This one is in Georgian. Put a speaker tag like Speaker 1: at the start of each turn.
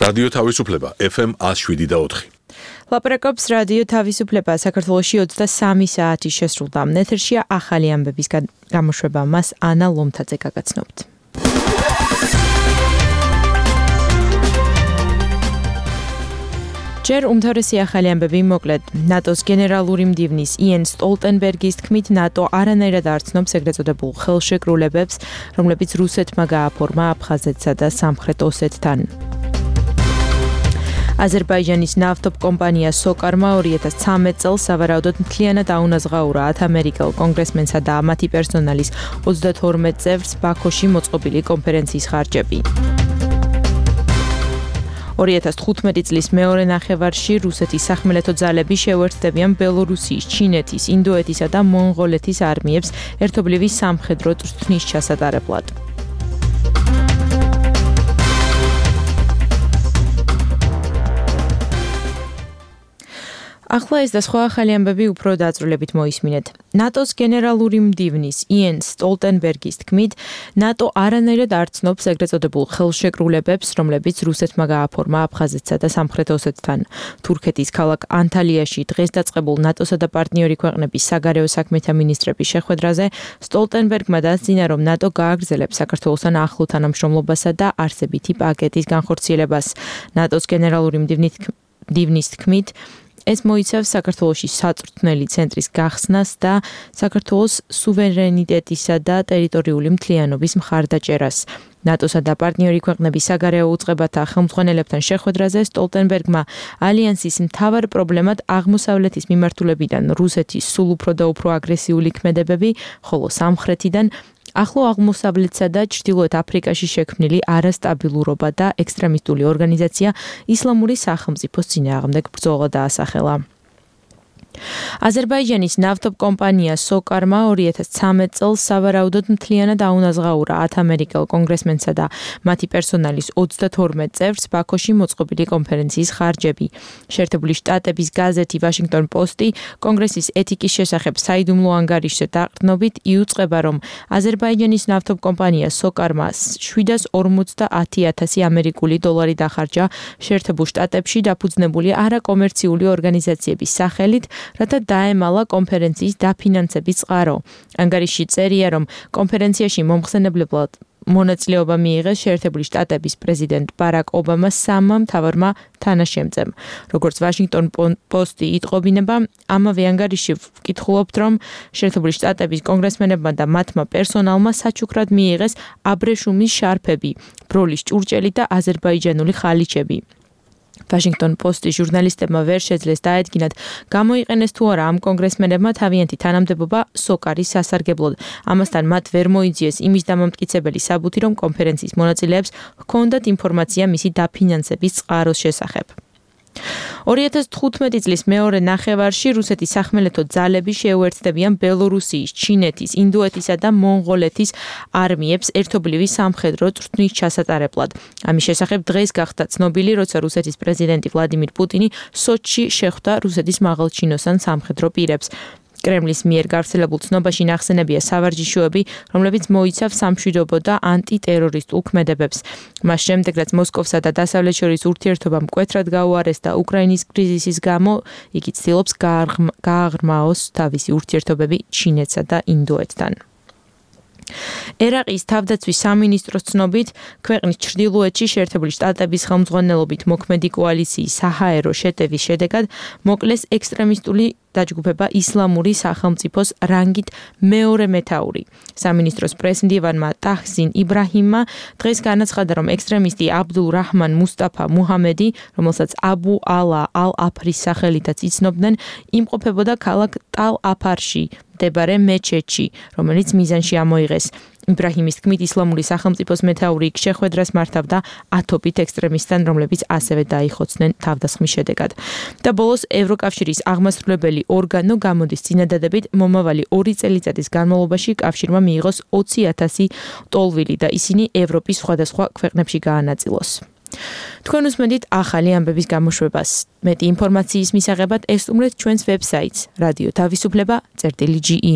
Speaker 1: რადიო თავისუფლება FM 107.4.
Speaker 2: ლაპარაკობს რადიო თავისუფლება საქართველოში 23 საათი შესრულდა. ეთერშია ახალი ამბების გამოშვება. მას ანა ლომთაძე გაგაცნობთ. ჯერ უმთავრესი ახალი ამბები მოკლედ. ნატოს გენერალური მდივნის იენ სტოლტენბერგის თქმით, ნატო არანაირად არ ცნობს ეგრეთ წოდებულ ხელშეკრულებებს, რომლებიც რუსეთმა გააფორმა აფხაზეთსა და სამხრეთ ოსეთთან. აზერბაიჯანის ნავთობკომპანია სოკარმა 2013 წელს სავარაუდოდ მთლიანად აუნაზღაურა 10 ამერიკელ კონგრესმენსა და მათი პერსონალის 32 წევრს ბაქოში მოწყობილი კონფერენციის ხარჯები. 2015 წლის მეორე ნახევარში რუსეთის სახმელეთო ძალები შეუერთდებიან ბელორუსიის, ჩინეთის, ინდოეთისა და მონღოლეთის არმიებს ერთობლივი სამხედრო წვრთნის ჩასატარებლად. ახლა ეს და სხვა ახალი ამბები უფრო დაწვრილებით მოისმინეთ. ნატოს გენერალური მდივნის იენ სტოლტენბერგის თქმით, ნატო არანაირად არ ცნობს ეგრეთ წოდებულ ხელშეკრულებებს, რომლებიც რუსეთმა გააფორმა აფხაზეთსა და სამხრეთ ოსეთთან. თურქეთის ქალაქ ანტალიაში დღეს დაწყებულ ნატოსა და პარტნიორი ქვეყნების საგარეო საქმეთა მინისტრების შეხვედრაზე სტოლტენბერგმა დასძინა, რომ ნატო გააგრძელებს საქართველოსთან ახლო თანამშრომლობასა და არსებითი პაკეტის განხორციელებას. ნატოს გენერალური მდივნის თქმით, ეს მოიცავს საქართველოში საწვრთნელი ცენტრის გახსნას და საქართველოს სუვერენიტეტისა და ტერიტორიული მთლიანობის მხარდაჭერას. ნატოსა და პარტნიორი ქვეყნების საგარეო უწყებათა ხელმძღვანელებთან შეხვედრაზე სტოლტენბერგმა ალიანსის მთავარ პრობლემად აღმოსავლეთის მიმართულებიდან რუსეთის სულ უფრო და უფრო აგრესიული ქმედებები, ხოლო სამხრეთიდან ახლო აღმოსავლეთსა და ჩრდილოეთ აფრიკაში შექმნილი არასტაბილურობა და ექსტრემისტული ორგანიზაცია ისლამური სახელმწიფოს წინააღმდეგ ბრძოლა დაასახელა. აზერბაიჯანის ნავთობკომპანია სოკარმა 2013 წელს სავარაუდოდ მთლიანად აუნაზღაურა 10 ამერიკელ კონგრესმენსა და მათი პერსონალის 32 წევრს ბაქოში მოწყობილი კონფერენციის ხარჯები. შეერთებული შტატების გაზეთი ვაშინგტონ პოსტი კონგრესის ეთიკის შესახებ საიდუმლო ანგარიშზე დაყრდნობით იუწყება, რომ აზერბაიჯანის ნავთობკომპანია სოკარმა 750,000 ამერიკული დოლარი დახარჯა შეერთებულ შტატებში დაფუძნებული არაკომერციული ორგანიზაციების სახელით, რათა დაემალა კონფერენციის დაფინანსების წყარო. ანგარიში წერია, რომ კონფერენციაში მომხსენებლად მონაწილეობა მიიღეს შეერთებული შტატების პრეზიდენტ ბარაკ ობამას სამმა მთავარმა თანაშემწემ. როგორც ვაშინგტონ პოსტი იტყობინება, ამავე ანგარიში ვკითხულობთ, რომ შეერთებული შტატების კონგრესმენებმა და მათმა პერსონალმა საჩუქრად მიიღეს აბრეშუმის შარფები, ბროლის ჭურჭელი და აზერბაიჯანული ხალიჩები. ვაშინგტონ პოსტის ჟურნალისტებმა ვერ შეძლეს დაედგინათ, გამოიყენეს თუ არა ამ კონგრესმენებმა თავიანთი თანამდებობა სოკარის სასარგებლოდ. ამასთან მათ ვერ მოიძიეს იმის დამამტკიცებელი საბუთი, რომ კონფერენციის მონაწილეებს ჰქონდათ ინფორმაცია მისი დაფინანსების წყაროს შესახებ. 2015 წლის მეორე ნახევარში რუსეთის სახმელეთო ძალები შეუერთდებიან ბელორუსიის, ჩინეთის, ინდოეთისა და მონღოლეთის არმიებს ერთობლივი სამხედრო წვრთნის ჩასატარებლად. ამის შესახებ დღეს გახდა ცნობილი, როცა რუსეთის პრეზიდენტი ვლადიმირ პუტინი სოჩში შეხვდა რუსეთის მაღალჩინოსან სამხედრო პირებს. კრემლის მიერ გავრცელებულ ცნობაში ნახსენებია სავარჯიშოები, რომლებიც მოიცავს სამშვიდობო და ანტიტერორისტულ ქმედებებს. მას შემდეგ, რაც მოსკოვსა და დასავლეთს შორის ურთიერთობა მკვეთრად გაუარესდა უკრაინის კრიზისის გამო, იგი ცდილობს გააღრმაოს თავისი ურთიერთობები ჩინეთსა და ინდოეთთან. ერაყის თავდაცვის სამინისტროს ცნობით, ქვეყნის ჩრდილოეთში შეერთებული შტატების ხელმძღვანელობით მოქმედი კოალიციის საჰაერო შეტევის შედეგად მოკლეს ექსტრემისტული დაჯგუფება ისლამური სახელმწიფოს რანგით მეორე მეთაური. სამინისტროს პრესმდივანმა ტაჰსინ იბრაჰიმმა დღეს განაცხადა, რომ ექსტრემისტი აბდულ რაჰმან მუსტაფა მუჰამედი, რომელსაც აბუ ალა ალ-აფრის სახელითაც იცნობდნენ, იმყოფებოდა ქალაქ ტალ-აფარში მდებარე მეჩეთში, რომელიც მიზანში ამოიღეს. იბრაჰიმის თქმით, ისლამური სახელმწიფოს მეთაური იქ შეხვედრას მართავდა ათობით ექსტრემისტთან, რომლებიც ასევე დაიხოცნენ თავდასხმის შედეგად. და ბოლოს ევროკავშირის აღმასრულებელი ორგანო გამოდის წინადადებით მომავალი 2 წელიწადის განმავლობაში კავშირმა მიიღოს 20,000 ტოლვილი და ისინი ევროპის სხვადასხვა ქვეყნებში გაანაწილოს. თქვენ უსმენთ ახალი ამბების გამოშვებას. მეტი ინფორმაციის მისაღებად ესტუმრეთ ჩვენს ვებსაიტს radio-tavisupleba.ge